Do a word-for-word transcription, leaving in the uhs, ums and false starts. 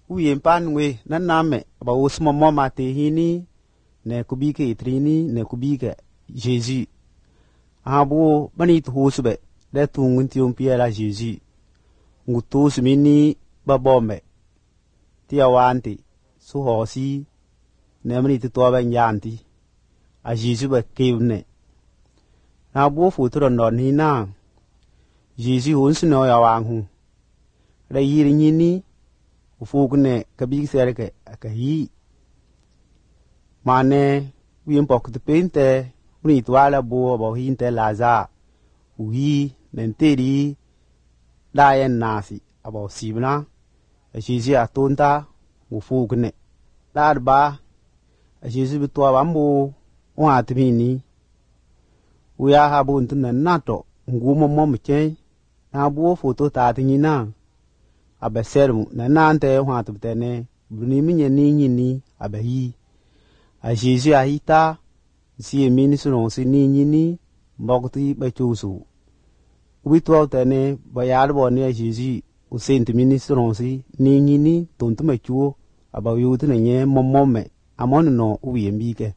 uyen panwe nan name ba usmo mama te hini ne kubike itrini ne kubike Jésus abo bani to husbe de tungun tium piera Jésus ngutu smini babombe tia wanti su hosi ne mani to ba nyanti a Jésus ba kevne na bo futuro non hina Jésus hunsno ya wangu re yiri nyini ufugne kabik serke akahi mane wien pok de pente uni twala bo bo hinte laza uhi nenteri dayen nasi abo sibna Jésus atonta ufugne darba Jésus bitwa bambo wa tmini uya habu ntuna nato ngumo momche na bo foto ta tinina abesermu na nante wa tubtene bruni minye ni nyini abehi a Jésus ahita si mini sunon si ni nyini mbokti bechusu ubitwa tene bayar boni a Jésus usent mini sunon si ni nyini tontu mechuo abayu tene nye momome amon no uyembike